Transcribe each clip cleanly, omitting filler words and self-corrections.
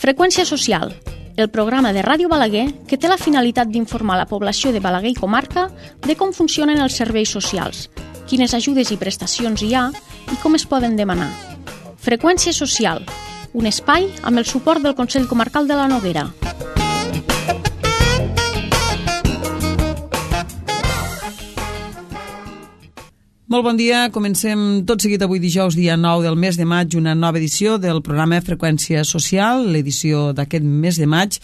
Freqüència social, el programa de Ràdio Balaguer que té la finalitat d'informar la població de Balaguer i comarca de com funcionen els serveis socials, quines ajudes i prestacions hi ha i com es poden demanar. Freqüència social, un espai amb el suport del Consell Comarcal de la Noguera. Molt bon dia, comencem tot seguit avui dijous, dia 9 del mes de maig, una nova edició del programa Freqüència Social, l'edició d'aquest mes de maig.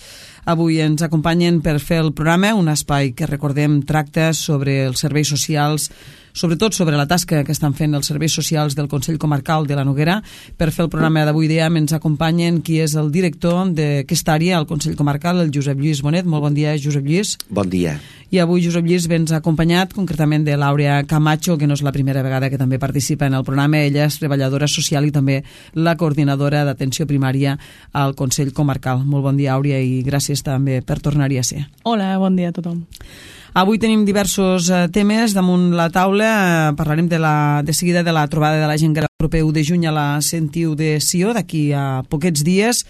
Avui ens acompanyen per fer el programa, un espai que recordem tracta sobre els serveis socials, sobretot sobre la tasca que estan fent els serveis socials del Consell Comarcal de la Noguera. Per fer el programa d'avui dia ens acompanyen qui és el director d'aquesta àrea al Consell Comarcal, el Josep Lluís Bonet. Molt bon dia, Josep Lluís. Bon dia. I avui Josep Lluís vens acompanyat concretament de L'Àurea Camacho, que no és la primera vegada que també participa en el programa. Ella és treballadora social i també la coordinadora d'atenció primària al Consell Comarcal. Molt bon dia, Àurea, i gràcies també per tornar-hi a ser. Hola, bon dia a tothom. Avui tenim diversos temes damunt la taula. Parlarem de seguida de la trobada de la gent gran el proper 1 de juny a la Sentiu de Sió, d'aquí a poquets dies.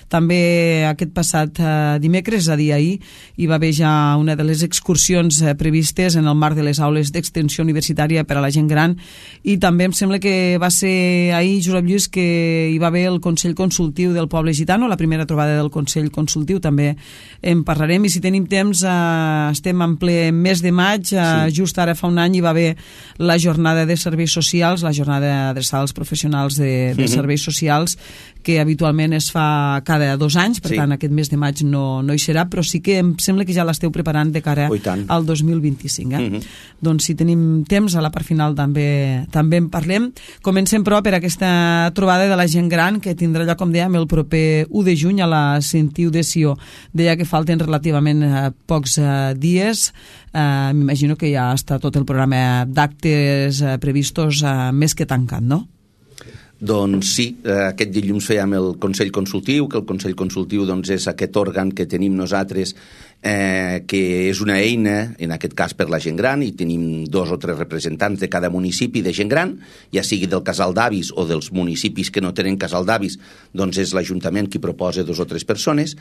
També aquest passat dimecres, és a dir, ahir, hi va haver ja una de les excursions previstes en el marc de les aules d'extensió universitària per a la gent gran, i també em sembla que va ser ahir, Josep Lluís, que hi va haver el Consell Consultiu del Poble Gitano, la primera trobada del Consell Consultiu, també en parlarem, i si tenim temps, estem en ple mes de maig, just ara fa un any hi va haver la jornada de serveis socials, la jornada adreçada als professionals de serveis socials, que habitualment es fa cada 2 anys, per tant aquest mes de maig no hi serà, però sí que em sembla que ja l'esteu preparant de cara al 2025. Doncs si tenim temps, a la part final també en parlem. Comencem però per aquesta trobada de la gent gran que tindrà lloc, com dèiem, el proper 1 de juny a la Sentiu de Sió. Deia que falten relativament pocs dies. M'imagino que ja està tot el programa d'actes previstos més que tancat, no? Doncs sí, aquest dilluns fèiem el Consell Consultiu, que el Consell Consultiu doncs, és aquest òrgan que tenim nosaltres, que és una eina, en aquest cas per la gent gran, i tenim 2 o 3 representants de cada municipi de gent gran, ja sigui del casal d'avis o dels municipis que no tenen casal d'avis, doncs és l'Ajuntament qui proposa 2 o 3 persones,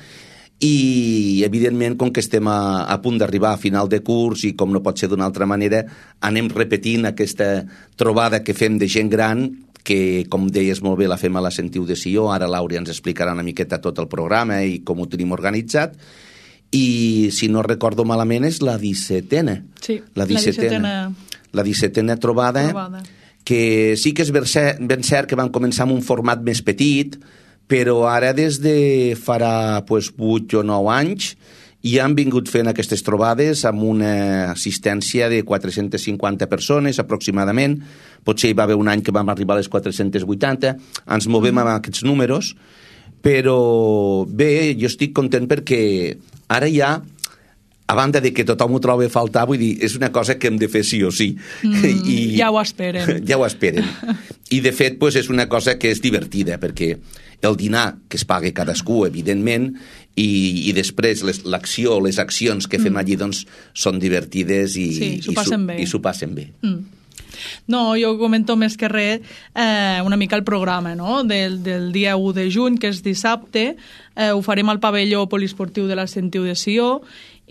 i evidentment com que estem a punt d'arribar a final de curs i com no pot ser d'una altra manera, anem repetint aquesta trobada que fem de gent gran, que, com deies molt bé, la fem a la Sentiu de Sió. Ara l'Àurea ens explicarà una miqueta tot el programa i com ho tenim organitzat. I, si no recordo malament, és la 17a. Sí, la 17a trobada, que sí que és ben cert que van començar amb un format més petit, però ara des de farà 8 o 9 anys ja han vingut fent aquestes trobades amb una assistència de 450 persones aproximadament. Potser hi va haver un any que vam arribar a les 480. Ens movem amb aquests números, però bé, jo estic content perquè ara ja, a banda de que tothom ho troba a faltar, vull dir, és una cosa que hem de fer sí o sí. Ja ho esperen. Ja ho esperen. I de fet, doncs, és una cosa que és divertida, perquè el dinar que es paga cadascú, evidentment, i després l'acció, les accions que fem allí, doncs, són divertides i s'ho passen bé. No, jo comento més que res una mica el programa, no? del dia 1 de juny, que és dissabte. Ho farem al pavelló poliesportiu de la Sentiu de Sió,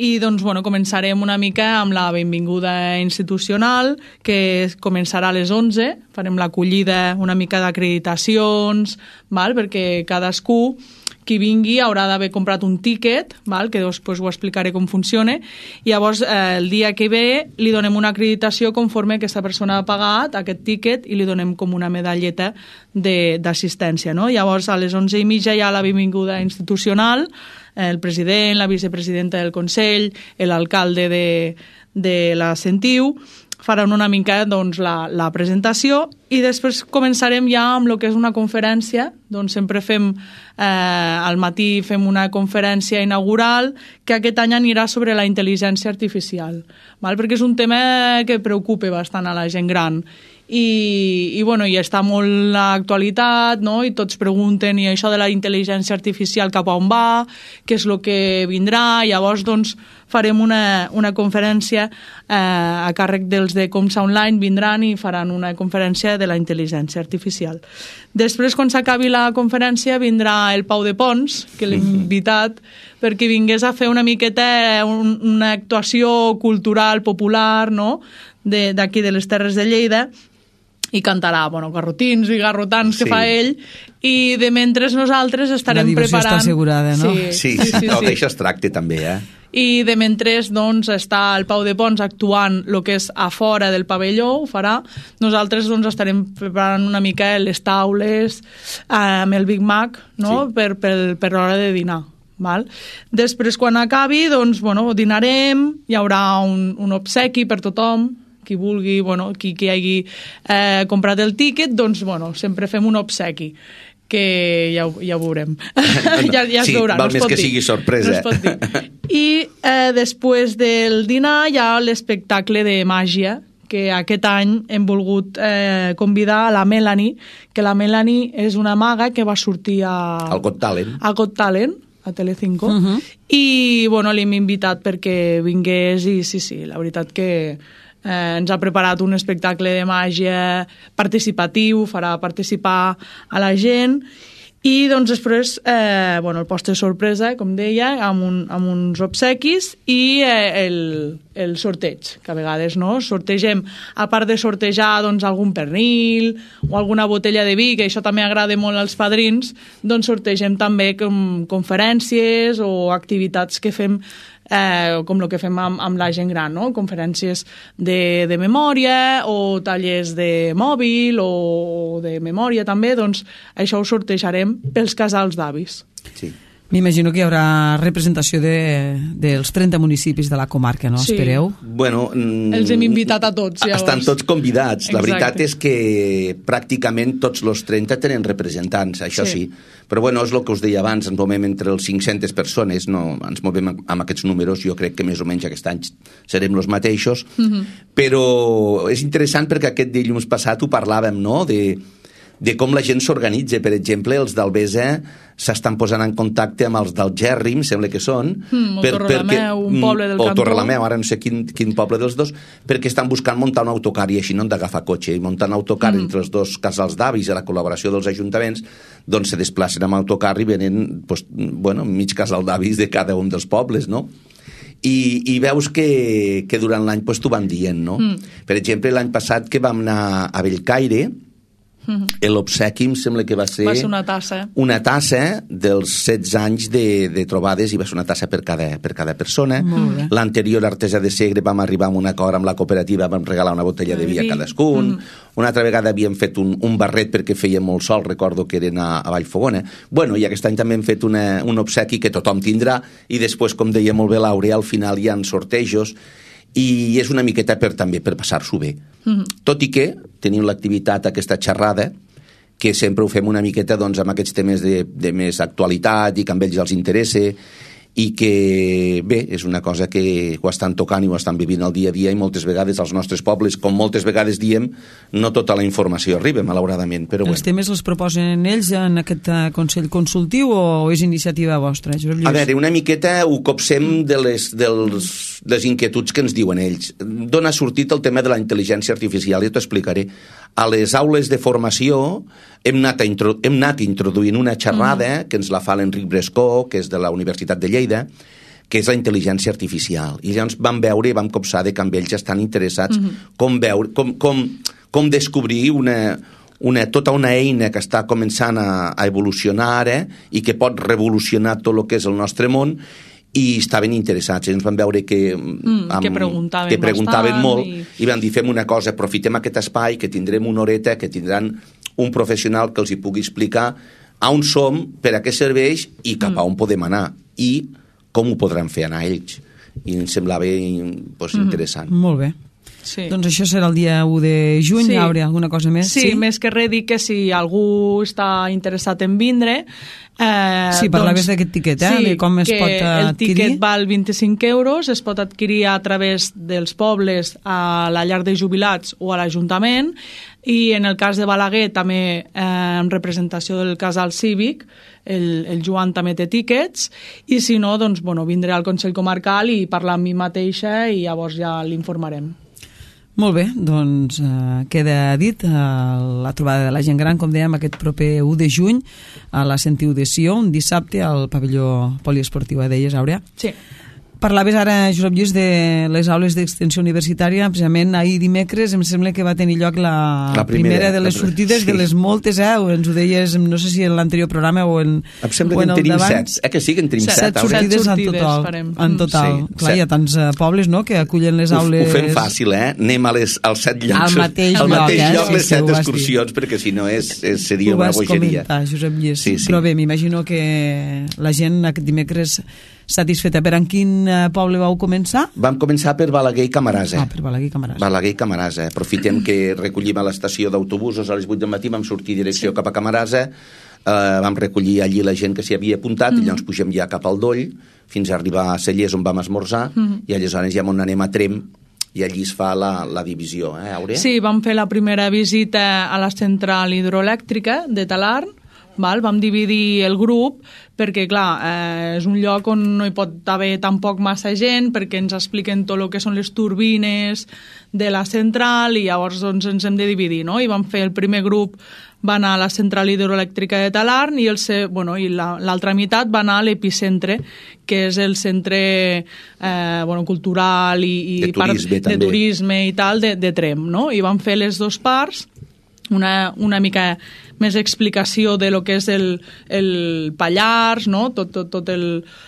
i doncs, començarem una mica amb la benvinguda institucional, que començarà a les 11. Farem l'acollida una mica d'acreditacions, perquè cadascú qui vingui haurà d'haver comprat un tíquet, que després ho explicaré com funciona, i llavors el dia que ve li donem una acreditació conforme aquesta persona ha pagat aquest tíquet i li donem com una medalleta d'assistència, no? Llavors a les 11:30 hi ha la benvinguda institucional, el president, la vicepresidenta del Consell, l'alcalde de la Sentiu, faran una mica la presentació, i després començarem ja amb el que és una conferència. Doncs sempre fem, al matí fem una conferència inaugural que aquest any anirà sobre la intel·ligència artificial, perquè és un tema que preocupa bastant a la gent gran, i està molt l'actualitat, no? I tots pregunten, i això de la intel·ligència artificial cap a on va, què és el que vindrà. Llavors, doncs, farem una conferència a càrrec dels de Comsa Online, vindran i faran una conferència de la intel·ligència artificial. Després, quan s'acabi la conferència, vindrà el Pau de Pons, que l'hem invitat, perquè vingués a fer una miqueta una actuació cultural popular, no?, d'aquí de les Terres de Lleida, i cantarà, garrotins i garrotans que fa ell, i de mentre nosaltres estarem preparant... La diversió està assegurada, no? Sí. D'això es tracta també, I de mentre doncs, està el Pau de Pons actuant el que és a fora del pavelló, ho farà. Nosaltres doncs, estarem preparant una mica les taules amb el Big Mac, no? Per l'hora de dinar. Val? Després, quan acabi, doncs, dinarem, hi haurà un obsequi per tothom, qui vulgui, qui hagi comprat el tíquet, doncs, sempre fem un obsequi, que ja ho veurem. Ja es veurà, val més que sigui sorpresa. No es pot dir. I després del dinar hi ha l'espectacle de màgia, que aquest any hem volgut convidar a la Melanie, que la Melanie és una maga que va sortir al Got Talent. A Got Talent, a Telecinco, i l'hem invitat perquè vingués i sí, la veritat que ens ha preparat un espectacle de màgia participatiu, farà participar a la gent, i doncs després el postre sorpresa, com deia, amb uns obsequis i el sorteig, que a vegades sortegem, a part de sortejar doncs, algun pernil o alguna botella de vi, que això també agrada molt als padrins, doncs sortegem també conferències o activitats que fem com el que fem amb la gent gran, no? Conferències de memòria o tallers de mòbil o de memòria també, doncs això ho sortejarem pels casals d'avis. Sí. M'imagino que hi haurà representació dels 30 municipis de la comarca, no? Sí. Espereu? Els hem invitat a tots, llavors. Estan tots convidats. Exacte. La veritat és que pràcticament tots els 30 tenen representants, això sí. Però és el que us deia abans, ens movem entre els 500 persones, no ens movem amb aquests números, jo crec que més o menys aquest any serem els mateixos, però és interessant perquè aquest dilluns passat ho parlàvem, no?, de com la gent s'organitza. Per exemple, els d'Albesa s'estan posant en contacte amb els del Gerri, em sembla que són. O Torrelameu, un poble del cantó. O Torrelameu, ara no sé quin poble dels dos, perquè estan buscant muntar un autocar i així no han d'agafar cotxe. I muntant autocar entre els dos casals d'avis i la col·laboració dels ajuntaments, doncs se desplacen amb autocar i venen mig casal d'avis de cada un dels pobles, no? I veus que durant l'any t'ho van dient, no? Per exemple, l'any passat que vam anar a Bellcaire, l'obsequi em sembla que va ser una tassa. Una tassa dels 16 anys de trobades, i va ser una tassa per cada persona. L'anterior Artesa de Segre vam arribar a un acord amb la cooperativa, vam regalar una botella de vi a cadascun. Una altra vegada havíem fet un barret perquè feia molt sol, recordo que eren a Vallfogona. I aquest any també hem fet un obsequi que tothom tindrà, i després, com deia molt bé l'Àurea, al final hi ha sortejos, i és una miqueta també per passar-s'ho bé. Tot i que tenim l'activitat, aquesta xerrada, que sempre ho fem una miqueta amb aquests temes de més actualitat i que a ells els interessa, i que, bé, és una cosa que ho estan tocant i ho estan vivint al dia a dia, i moltes vegades als nostres pobles, com moltes vegades diem, no tota la informació arriba, malauradament. Però els temes els proposen ells en aquest Consell Consultiu o és iniciativa vostra? A veure, una miqueta ho copsem de les inquietuds que ens diuen ells. D'on ha sortit el tema de la intel·ligència artificial? Jo t'ho explicaré. A les aules de formació hem anat introduint una xerrada que ens la fa l'Enric Brescó, que és de la Universitat de Lleida, que és la intel·ligència artificial. I llavors vam veure i vam copsar que amb ells estan interessats com descobrir tota una eina que està començant a evolucionar ara i que pot revolucionar tot el que és el nostre món, i estaven interessats. Ens van veure que preguntaven molt i van dir, fem una cosa, aprofitem aquest espai, que tindrem una horeta, que tindran un professional que els hi pugui explicar on som, per a què serveix i cap a on podem anar i com ho podran fer anar ells. I em semblava interessant. Molt bé. Sí. Doncs això serà el dia 1 de juny, Sí. Àurea, alguna cosa més? Sí, més que res dir que si algú està interessat en vindre... Sí, parlaves d'aquest tiquet, de com es pot adquirir. El tiquet val 25 euros, es pot adquirir a través dels pobles a la llar de jubilats o a l'Ajuntament, i en el cas de Balaguer també en representació del casal cívic, el Joan també té tíquets, i si no, doncs, vindré al Consell Comarcal i parlar amb mi mateixa i llavors ja l'informarem. Molt bé, doncs queda dit la trobada de la gent gran, com dèiem, aquest proper 1 de juny a la Sentiu de Sió, un dissabte al pavelló poliesportiu, deies, Àurea? Sí. Parlaves ara, Josep Lluís, de les aules d'extensió universitària. Precisament ahir dimecres em sembla que va tenir lloc la primera de les sortides, de les moltes, ens ho deies, no sé si en l'anterior programa o en em sembla que en tenim 7, que sí que en tenim 7 sortides en total. Sí, clar, hi ha tants pobles, no?, que acullen les aules. Ho fem fàcil, anem als 7 llocs al mateix lloc, les 7 excursions, perquè si no seria una bogeria. Ho vas comentar, Josep Lluís. Però bé, m'imagino que la gent aquest dimecres satisfeta. Per en quin poble vau començar? Vam començar per Balaguer i Camarasa. Per Balaguer i Camarasa. Balaguer i Camarasa. Aprofitem que recollim a l'estació d'autobusos a les 8 del matí, vam sortir direcció cap a Camarasa, vam recollir allí la gent que s'hi havia apuntat i llavors pugem ja cap al Doll fins a arribar a Cellers, on vam esmorzar, i aleshores ja on anem a Trem i allí es fa la divisió, Àurea? Sí, vam fer la primera visita a la central hidroelèctrica de Talarn. Vam dividir el grup perquè, clar, és un lloc on no hi pot haver tampoc massa gent, perquè ens expliquen tot el que són les turbines de la central i llavors doncs, ens hem de dividir, no? I vam fer el primer grup, va anar a la central hidroelèctrica de Talarn i l'altra meitat va anar a l'epicentre, que és el centre cultural i de turisme i tal de Trem, no? I vam fer les dues parts, una mica més explicació de lo que és el Pallars, no? Tot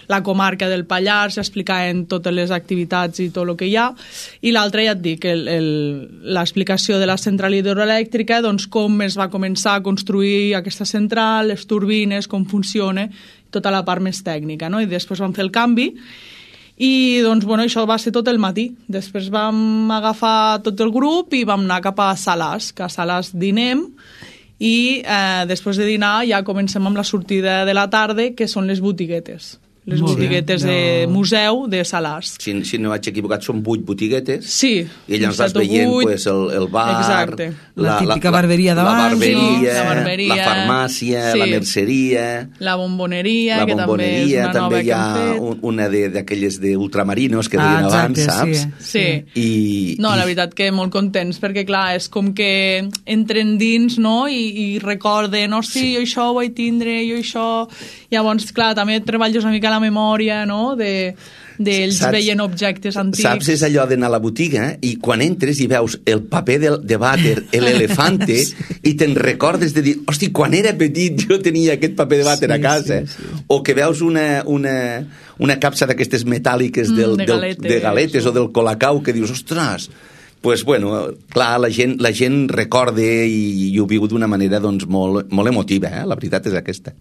la comarca del Pallars, explicaven totes les activitats i tot el que hi ha, i l'altre, ja et dic, l'explicació de la central hidroelèctrica, doncs com es va començar a construir aquesta central, les turbines, com funciona, tota la part més tècnica, no? I després vam fer el canvi, i doncs, això va ser tot el matí. Després vam agafar tot el grup i vam anar cap a Salàs, que a Salàs dinem, i després de dinar ja comencem amb la sortida de la tarda, que són les botiguetes. Les botiguetes de museu de Salàs. Si no vaig equivocat, són 8 botiguetes. Sí. I llavors vas veient el bar, exacte. La típica barberia davant, la farmàcia, la merceria, la bomboneria, que també és una nova que hem fet. També hi ha una d'aquelles d'ultramarinos que deien abans, saps? Sí. No, la veritat que molt contents, perquè clar, és com que entren dins, no?, i recorden, hosti, jo això ho vaig tindre, jo això... Llavors, clar, també treballes una mica la memòria, no?, d'ells veient objectes antics. Saps, és allò d'anar a la botiga i quan entres i veus el paper de vàter, l'elefante, i te'n recordes de dir, hosti, quan era petit jo tenia aquest paper de vàter a casa. O que veus una capsa d'aquestes metàl·liques de galetes o del colacau que dius, ostres, pues bueno, clar, la gent recorda i ho viu d'una manera doncs molt emotiva, la veritat és aquesta.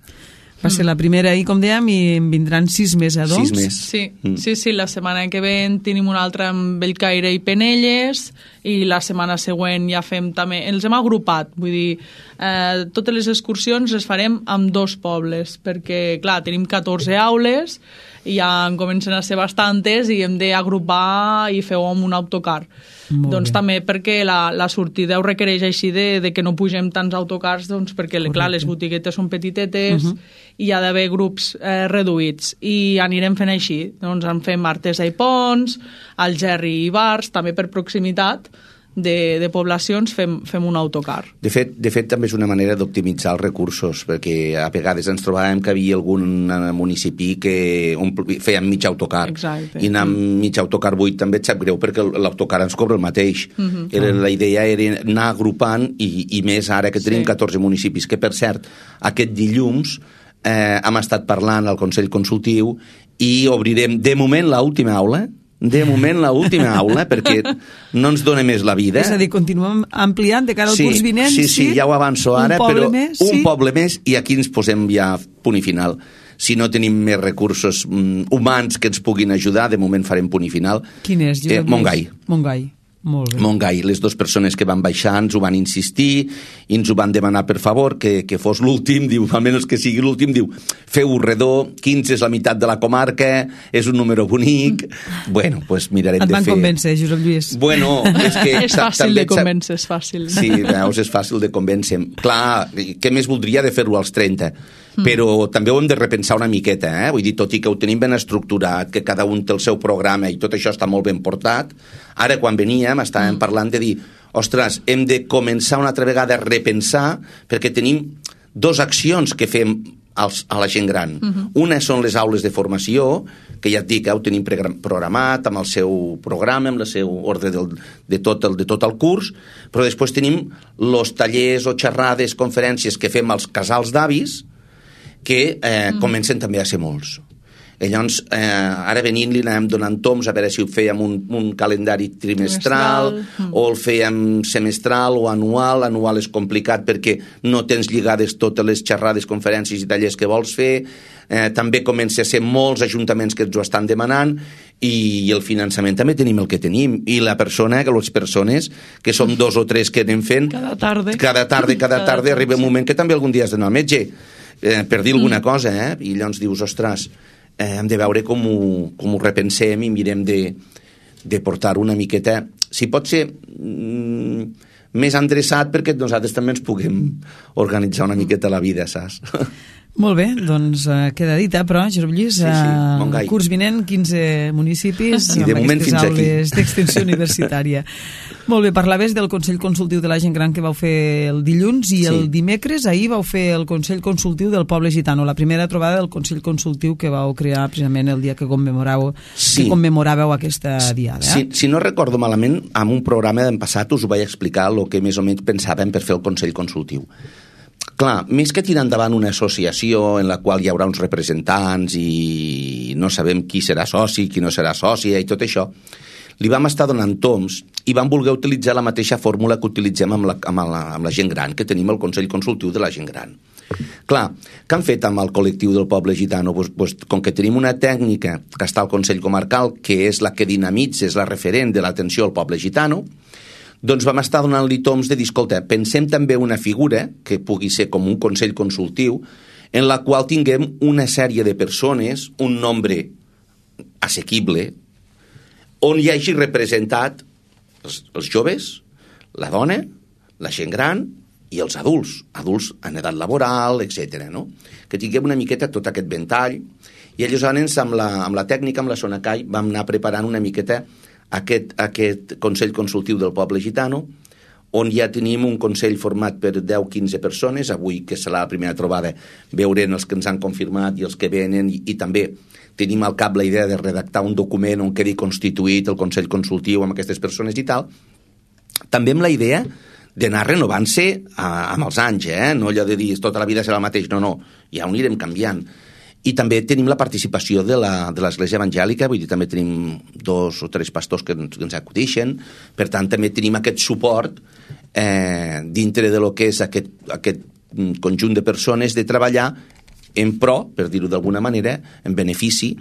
Va ser la primera ahir, com dèiem, i en vindran 6 més, doncs? 6 més. Sí, la setmana que ve tenim una altra amb Bellcaire i Penelles, i la setmana següent ja fem també... Els hem agrupat, vull dir, totes les excursions les farem amb 2 pobles, perquè, clar, tenim 14 aules, i ja en comencen a ser bastantes i hem d'agrupar i fer-ho amb un autocar. Doncs també perquè la sortida ho requereix així de que no pugem tants autocars, doncs perquè, clar, les botiguetes són petitetes i hi ha d'haver grups reduïts, i anirem fent així. Doncs en fem Artesa i Pons, Algerri i Bars, també per proximitat de poblacions fem un autocar. De fet, també és una manera d'optimitzar els recursos, perquè a vegades ens trobàvem que havia algun municipi que feien mig autocar. Exacte. I anar amb mig autocar buit també et sap greu, perquè l'autocar ens cobra el mateix. La idea era anar agrupant, i més ara que tenim 14 municipis, que per cert, aquest dilluns hem estat parlant al Consell Consultiu i obrirem de moment l'última aula, perquè no ens dona més la vida. És a dir, continuem ampliant de cara al curs vinent. Sí, ja ho avanço ara, però un poble més i aquí ens posem ja punt i final. Si no tenim més recursos humans que ens puguin ajudar, de moment farem punt i final. Quin és? Montgai. Molt bé. Montgai. Les dues persones que van baixar ens ho van insistir i ens ho van demanar per favor que fos l'últim, diu, almenys que sigui l'últim, diu, feu-ho redó, 15 és la meitat de la comarca, és un número bonic. Bueno, pues mirarem de fer... Et van convèncer, Josep Lluís. Bueno, és que... És fàcil de convèncer, és fàcil. Sí, veus, és fàcil de convèncer. Clar, què més voldria de fer-ho als 30? Però també ho hem de repensar una miqueta, Vull dir, tot i que ho tenim ben estructurat, que cada un té el seu programa i tot això està molt ben portat, ara quan veníem estàvem parlant de dir, ostres, hem de començar una altra vegada a repensar, perquè tenim dues accions que fem a la gent gran. Una són les aules de formació, que ja et dic, ho tenim programat amb el seu programa, amb el seu ordre de tot el curs, però després tenim els tallers o xerrades, conferències que fem als casals d'avis, que comencen també a ser molts. I llavors, ara venint-li anàvem donant toms a veure si ho fèiem un calendari trimestral o el fèiem semestral o anual. Anual és complicat perquè no tens lligades totes les xerrades, conferències i tallers que vols fer. També comença a ser molts ajuntaments que ens ho estan demanant i el finançament també tenim el que tenim. I les persones, que som 2 o 3 que anem fent... Cada tarda arriba un moment que també algun dia has d'anar al metge per dir alguna cosa, i llavors dius, ostres, hem de veure com ho repensem i mirem de portar una miqueta, si pot ser més endreçat perquè nosaltres també ens puguem organitzar una miqueta la vida, saps? Molt bé, doncs queda dita, però, Josep Lluís, Montgai. Curs vinent, 15 municipis i de moment aquestes fins aules d'extensió universitària. Molt bé, parlaves del Consell Consultiu de la Gent Gran que vau fer el dilluns i el dimecres, ahir vau fer el Consell Consultiu del Poble Gitano, la primera trobada del Consell Consultiu que vau crear precisament el dia que commemoràveu aquesta diada. Si no recordo malament, en un programa d'en passat us ho vaig explicar el que més o menys pensàvem per fer el Consell Consultiu. Clar, més que tirar endavant una associació en la qual hi haurà uns representants i no sabem qui serà soci, qui no serà sòcia i tot això, li vam estar donant toms i vam voler utilitzar la mateixa fórmula que utilitzem amb la gent gran, que tenim el Consell Consultiu de la Gent Gran. Clar, què han fet amb el col·lectiu del poble gitano? Com que tenim una tècnica que està al Consell Comarcal, que és la que dinamitza, és la referent de l'atenció al poble gitano, doncs vam estar donant-li toms de dir, escolta, pensem també una figura que pugui ser com un consell consultiu en la qual tinguem una sèrie de persones, un nombre assequible, on hi hagi representat els joves, la dona, la gent gran i els adults en edat laboral, etc. No? Que tinguem una miqueta tot aquest ventall. I aleshores, amb la tècnica, amb la Sonacai, vam anar preparant una miqueta aquest Consell Consultiu del Poble Gitano, on ja tenim un consell format per 10-15 persones. Avui, que serà la primera trobada, veurem els que ens han confirmat i els que venen, i també tenim al cap la idea de redactar un document on quedi constituït el Consell Consultiu amb aquestes persones i tal. També amb la idea d'anar renovant-se amb els anys, no allò de dir tota la vida serà el mateix, no, ja ho anirem canviant. I també tenim la participació de l'Església Evangèlica, vull dir, també tenim 2 o 3 pastors que ens acudixen, per tant també tenim aquest suport dintre de lo que és aquest conjunt de persones de treballar en pro, per dir-ho d'alguna manera, en benefici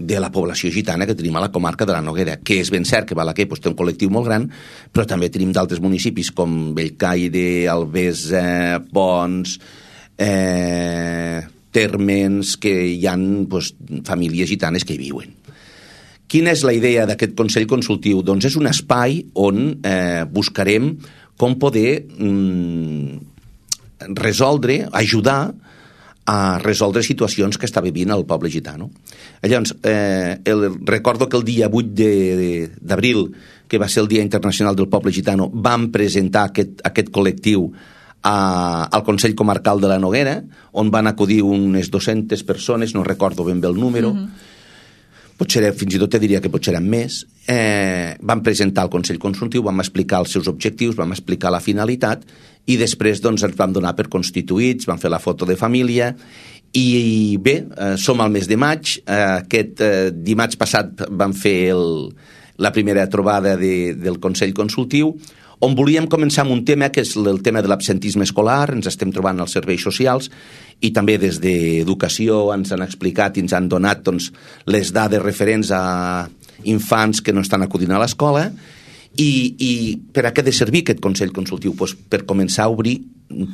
de la població gitana que tenim a la comarca de la Noguera, que és ben cert que Balaguer té un col·lectiu molt gran, però també tenim d'altres municipis com Bellcaire, Albesa, Pons, Térmens, que hi ha famílies gitanes que hi viuen. Quina és la idea d'aquest Consell Consultiu? Doncs és un espai on buscarem com poder ajudar a resoldre situacions que està vivint el poble gitano. Llavors, recordo que el dia 8 d'abril, que va ser el Dia Internacional del Poble Gitano, vam presentar aquest col·lectiu al Consell Comarcal de la Noguera, on van acudir unes 200 persones, no recordo ben bé el número, potser fins i tot te diria que potser eren més. Vam presentar al Consell Consultiu, vam explicar els seus objectius, vam explicar la finalitat i després ens vam donar per constituïts, vam fer la foto de família i bé, som al mes de maig. Aquest dimarts passat vam fer la primera trobada del Consell Consultiu, on volíem començar amb un tema que és el tema de l'absentisme escolar. Ens estem trobant als serveis socials i també des d'Educació ens han explicat i ens han donat les dades referents a infants que no estan acudint a l'escola, I per a què ha de servir aquest Consell Consultiu? Pues per començar a obrir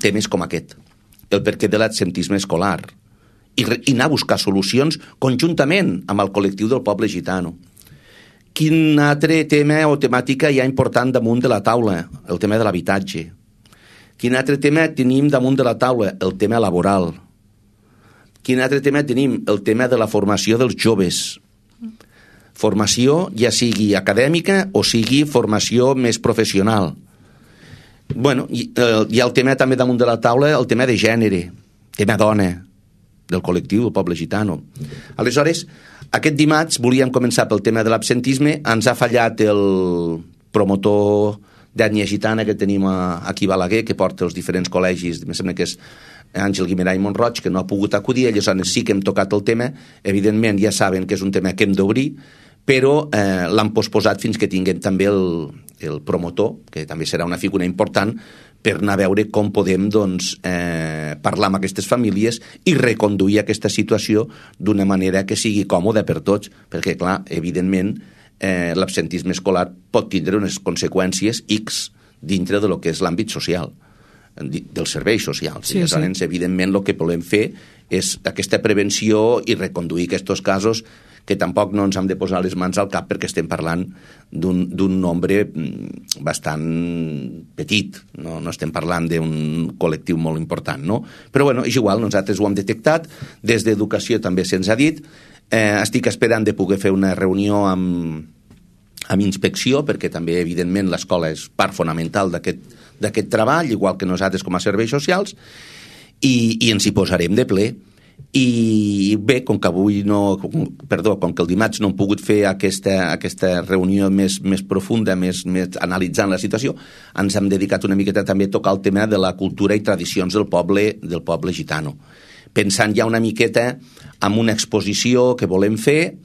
temes com aquest, el perquè de l'absentisme escolar, i anar a buscar solucions conjuntament amb el col·lectiu del poble gitano. Quin altre tema o temàtica hi ha important damunt de la taula? El tema de l'habitatge. Quin altre tema tenim damunt de la taula? El tema laboral. Quin altre tema tenim? El tema de la formació dels joves. Formació ja sigui acadèmica o sigui formació més professional. Bueno, hi ha el tema també damunt de la taula, el tema de gènere, tema dona, del col·lectiu del poble gitano. Aleshores, aquest dimarts volíem començar pel tema de l'absentisme. Ens ha fallat el promotor d'ètnia gitana que tenim aquí a Balaguer, que porta els diferents col·legis, em sembla que és Àngel Guimerà i Montroig, que no ha pogut acudir. Aleshores sí que hem tocat el tema. Evidentment ja saben que és un tema que hem d'obrir, però l'han posposat fins que tinguem també el promotor, que també serà una figura important, per anar a veure com podem parlar amb aquestes famílies i reconduir aquesta situació d'una manera que sigui còmoda per tots, perquè, clar, evidentment, l'absentisme escolar pot tindre unes conseqüències X dintre de lo que és l'àmbit social, dels serveis socials. Sí, Aleshores, evidentment, el que volem fer és aquesta prevenció i reconduir aquests casos, que tampoc no ens hem de posar les mans al cap perquè estem parlant d'un nombre bastant petit, no estem parlant d'un col·lectiu molt important, no? Però bueno, és igual, nosaltres ho hem detectat, des d'Educació també se'ns ha dit, estic esperant de poder fer una reunió amb Inspecció, perquè també, evidentment, l'escola és part fonamental d'aquest treball, igual que nosaltres com a serveis socials, i ens hi posarem de ple. I bé, com que el dimarts no hem pogut fer aquesta reunió més profunda, més analitzant la situació, ens hem dedicat una miqueta també a tocar el tema de la cultura i tradicions del poble gitano, pensant ja una miqueta en una exposició que volem fer,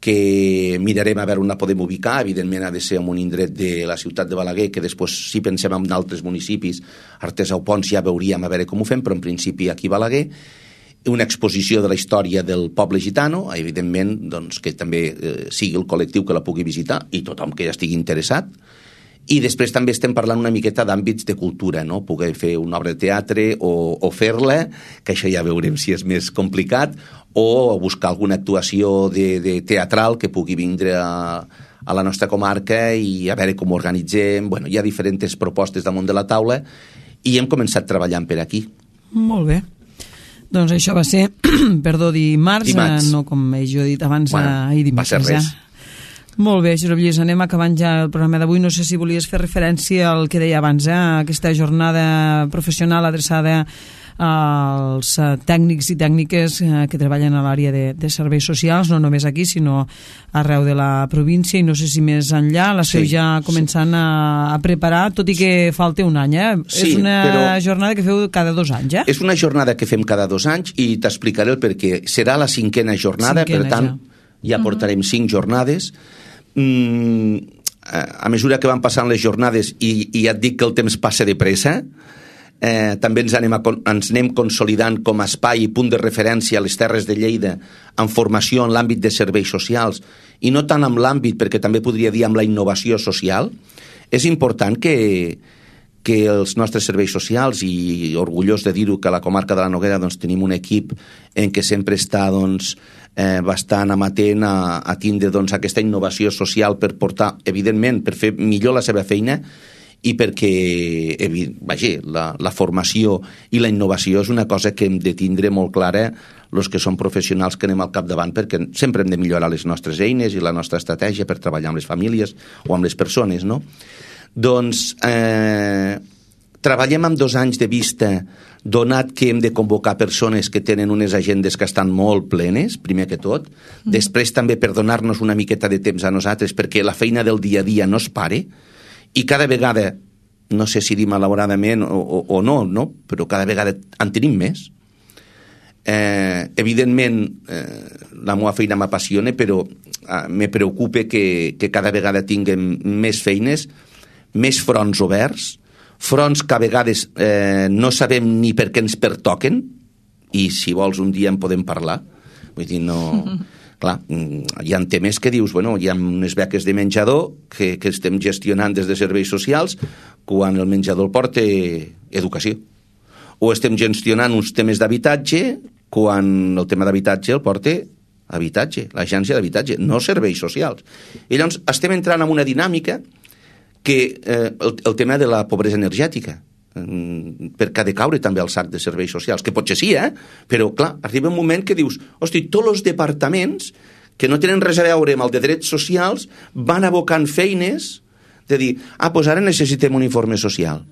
que mirarem a veure on la podem ubicar. Evidentment ha de ser en un indret de la ciutat de Balaguer, que després, si pensem en altres municipis, Artesa o Pons, ja veuríem a veure com ho fem, però en principi aquí a Balaguer, una exposició de la història del poble gitano, evidentment que també sigui el col·lectiu que la pugui visitar i tothom que ja estigui interessat. I després també estem parlant una miqueta d'àmbits de cultura, no? Poder fer una obra de teatre o fer-la, que això ja veurem si és més complicat, o buscar alguna actuació de teatral que pugui vindre a la nostra comarca i a veure com ho organitzem. Bueno, hi ha diferents propostes damunt de la taula i hem començat treballant per aquí. Molt bé. Doncs això va ser, dimarts, no com jo he dit abans, ahir dimarts. Va ser res. Molt bé, Josep Lluís, anem acabant ja el programa d'avui. No sé si volies fer referència al que deia abans, aquesta jornada professional adreçada als tècnics i tècniques que treballen a l'àrea de serveis socials, no només aquí, sinó arreu de la província, i no sé si més enllà l'esteu ja començant a preparar, tot i que falta un any, Sí, és una jornada que feu cada 2 anys, És una jornada que fem cada 2 anys i t'explicaré el perquè. Serà la 5a jornada, per tant, ja portarem 5 jornades. A mesura que van passant les jornades, i ja et dic que el temps passa de pressa, també ens anem consolidant com a espai i punt de referència a les Terres de Lleida en formació en l'àmbit de serveis socials, i no tant en l'àmbit, perquè també podria dir amb la innovació social. És important que els nostres serveis socials, i orgullós de dir-ho que a la comarca de la Noguera tenim un equip en què sempre està bastant amatent a tindre aquesta innovació social per portar, evidentment, per fer millor la seva feina, i perquè la formació i la innovació és una cosa que hem de tindre molt clara els que som professionals que anem al capdavant, perquè sempre hem de millorar les nostres eines i la nostra estratègia per treballar amb les famílies o amb les persones, no? Doncs treballem amb 2 anys de vista, donat que hem de convocar persones que tenen unes agendes que estan molt plenes, primer que tot, després també per donar-nos una miqueta de temps a nosaltres, perquè la feina del dia a dia no es pare, i cada vegada, no sé si dir malauradament o no, però cada vegada en tenim més. Evidentment, la meva feina m'apassiona, però me preocupa que cada vegada tinguem més feines, més fronts oberts, fronts que a vegades no sabem ni per què ens pertoquen, i si vols un dia en podem parlar. Vull dir, no... Clar, hi ha temes que dius, bueno, hi ha unes beques de menjador que estem gestionant des de serveis socials quan el menjador el porta educació. O estem gestionant uns temes d'habitatge quan el tema d'habitatge el porta habitatge, l'agència d'habitatge, no serveis socials. I llavors estem entrant en una dinàmica que el tema de la pobresa energètica, perquè ha de caure també al sac de serveis socials, que potser sí, però clar, arriba un moment que dius, hosti, tots els departaments que no tenen res a veure amb el de drets socials van abocant feines de dir, doncs ara necessitem un informe social,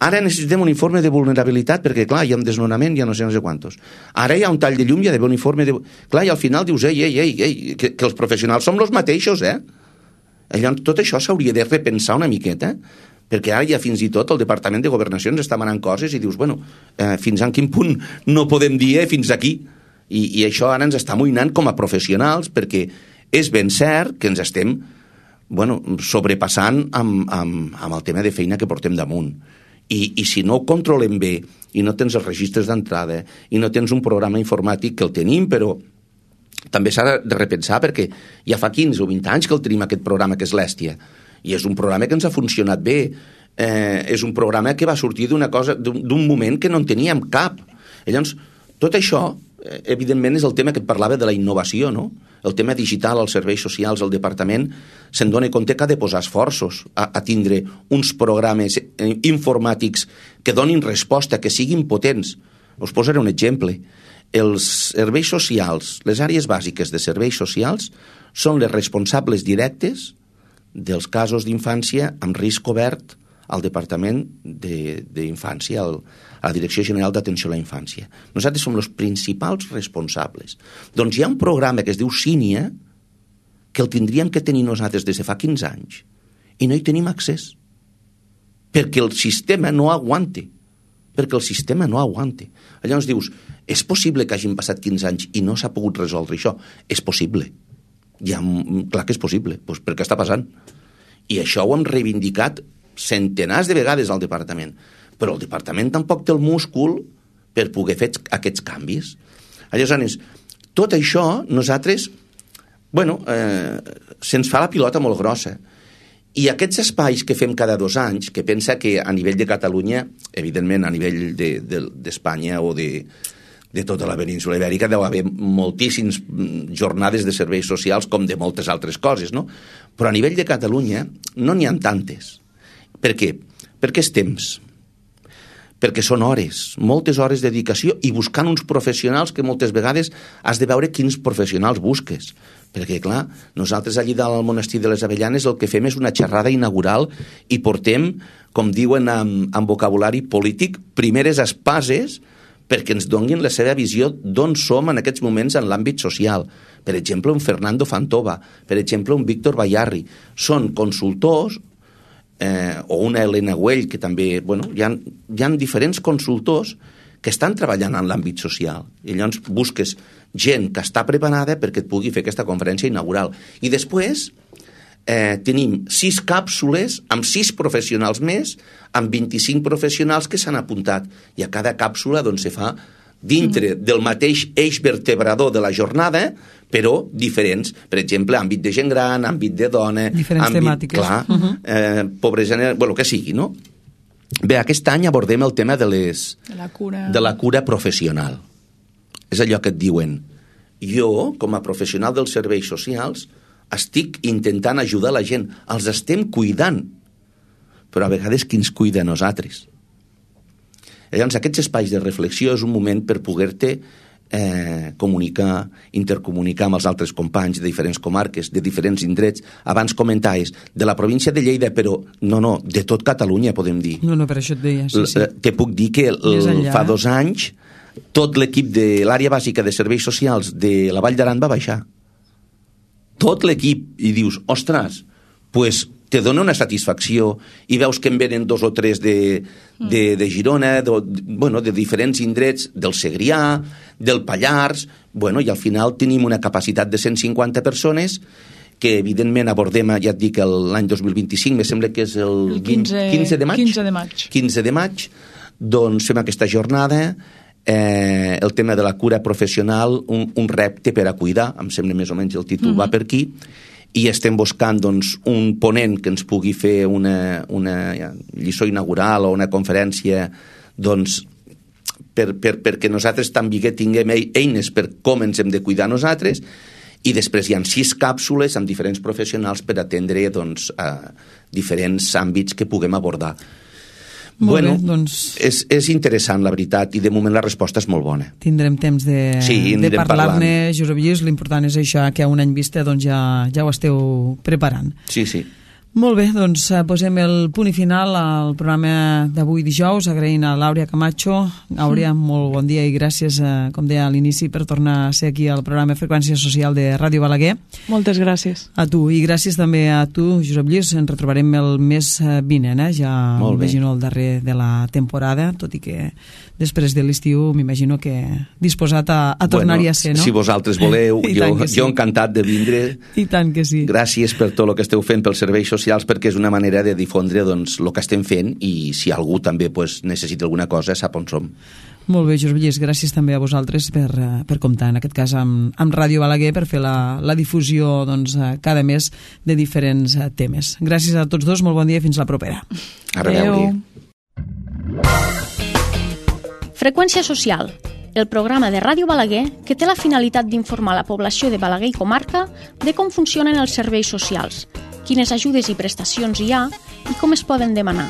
ara necessitem un informe de vulnerabilitat perquè clar, hi ha un desnonament, hi ha no sé quantos, ara hi ha un tall de llum, hi ha d'haver un informe de... Clar, i al final dius, que els professionals som els mateixos, Llavors tot això s'hauria de repensar una miqueta, perquè ara ja fins i tot el Departament de Governació ens està manant coses i dius, bueno, fins a quin punt no podem dir fins aquí? I això ara ens està amoïnant com a professionals, perquè és ben cert que ens estem sobrepassant amb el tema de feina que portem damunt. I si no ho controlem bé, i no tens els registres d'entrada, i no tens un programa informàtic, que el tenim, però també s'ha de repensar, perquè ja fa 15 o 20 anys que el tenim, aquest programa, que és l'Èstia, i és un programa que ens ha funcionat bé, és un programa que va sortir d'un moment que no en teníem cap. I llavors, tot això, evidentment, és el tema que et parlava de la innovació, no? El tema digital, els serveis socials, el departament, se'n dona compte que ha de posar esforços a tindre uns programes informàtics que donin resposta, que siguin potents. Us posaré un exemple. Els serveis socials, les àrees bàsiques de serveis socials, són les responsables directes dels casos d'infància amb risc obert al Departament d'Infància, a la Direcció General d'Atenció a la Infància. Nosaltres som els principals responsables. Doncs hi ha un programa que es diu Sínia, que el tindríem que tenir nosaltres des de fa 15 anys, i no hi tenim accés, perquè el sistema no aguanta. Llavors dius, és possible que hagin passat 15 anys i no s'ha pogut resoldre això? És possible. Clar que és possible, doncs perquè està passant. I això ho hem reivindicat centenars de vegades al departament, però el departament tampoc té el múscul per poder fer aquests canvis. Aleshores, tot això nosaltres, se'ns fa la pilota molt grossa. I aquests espais que fem cada 2 anys, que pensa que a nivell de Catalunya, evidentment a nivell d'Espanya o de tota la península ibèrica deu haver moltíssimes jornades de serveis socials com de moltes altres coses, no? Però a nivell de Catalunya no n'hi ha tantes. Per què? Perquè és temps. Perquè són hores, moltes hores de dedicació i buscant uns professionals que moltes vegades has de veure quins professionals busques. Perquè, clar, nosaltres allí dalt al monestir de les Avellanes el que fem és una xerrada inaugural i portem, com diuen en vocabulari polític, primeres espases perquè ens donin la seva visió d'on som en aquests moments en l'àmbit social. Per exemple, un Fernando Fantova, per exemple, un Víctor Bayarri. Són consultors, o una Helena Güell, que també, hi ha diferents consultors que estan treballant en l'àmbit social. I llavors busques gent que està preparada perquè et pugui fer aquesta conferència inaugural. I després tenim 6 càpsules amb 6 professionals més, amb 25 professionals que s'han apuntat. I a cada càpsula se fa dintre del mateix eix vertebrador de la jornada, però diferents. Per exemple, àmbit de gent gran, àmbit de dona... Diferents temàtiques. Clar, pobresa... que sigui, no? Bé, aquest any abordem el tema de la cura professional. És allò que et diuen. Jo, com a professional dels serveis socials, estic intentant ajudar la gent. Els estem cuidant. Però a vegades qui ens cuida a nosaltres? Llavors, aquests espais de reflexió és un moment per poder-te comunicar, intercomunicar amb els altres companys de diferents comarques, de diferents indrets. Abans comentaves de la província de Lleida, però no, de tot Catalunya, podem dir. No, per això et deia, sí. Te puc dir que fa 2 anys tot l'equip de l'àrea bàsica de serveis socials de la Vall d'Aran va baixar. Tot l'equip. I dius, ostres, pues te dona una satisfacció i veus que en venen 2 o 3 de Girona, de diferents indrets, del Segrià, del Pallars, i al final tenim una capacitat de 150 persones que evidentment abordem, ja et dic, l'any 2025, me sembla que és el 15 de maig. 15 de maig. 15 de maig, doncs fem aquesta jornada el tema de la cura professional, un repte per a cuidar, em sembla més o menys el títol va per aquí, i estem buscant doncs, un ponent que ens pugui fer una lliçó inaugural o una conferència doncs, perquè nosaltres també tinguem eines per com ens hem de cuidar nosaltres, i després hi ha 6 càpsules amb diferents professionals per atendre doncs, diferents àmbits que puguem abordar. Bueno, doncs... és interessant, la veritat, i de moment la resposta és molt bona. Tindrem temps de parlar-ne, Josep Lluís. L'important és això, que a un any vista doncs, ja ho esteu preparant. Sí, sí. Molt bé, doncs posem el punt i final al programa d'avui dijous, agraint a l'Àurea Camacho. Àurea, molt bon dia i gràcies, com deia a l'inici, per tornar a ser aquí al programa Freqüència Social de Ràdio Balaguer. Moltes gràcies. A tu, i gràcies també a tu, Josep Lluís. Ens retrobarem el mes vinent, ja m'imagino el darrer de la temporada, tot i que després de l'estiu m'imagino que disposat a tornar-hi a ser, no? Si vosaltres voleu, jo encantat de vindre. I tant que sí. Gràcies per tot el que esteu fent pels serveis socials, perquè és una manera de difondre doncs, el que estem fent, i si algú també pues, necessita alguna cosa, sap on som. Molt bé, Josep Lluís, gràcies també a vosaltres per comptar, en aquest cas amb Ràdio Balaguer, per fer la difusió doncs, cada mes de diferents temes. Gràcies a tots dos, molt bon dia i fins la propera. A reveure. Freqüència Social, el programa de Ràdio Balaguer que té la finalitat d'informar la població de Balaguer i comarca de com funcionen els serveis socials, quines ajudes i prestacions hi ha i com es poden demanar.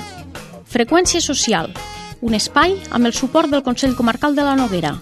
Freqüència Social, un espai amb el suport del Consell Comarcal de la Noguera.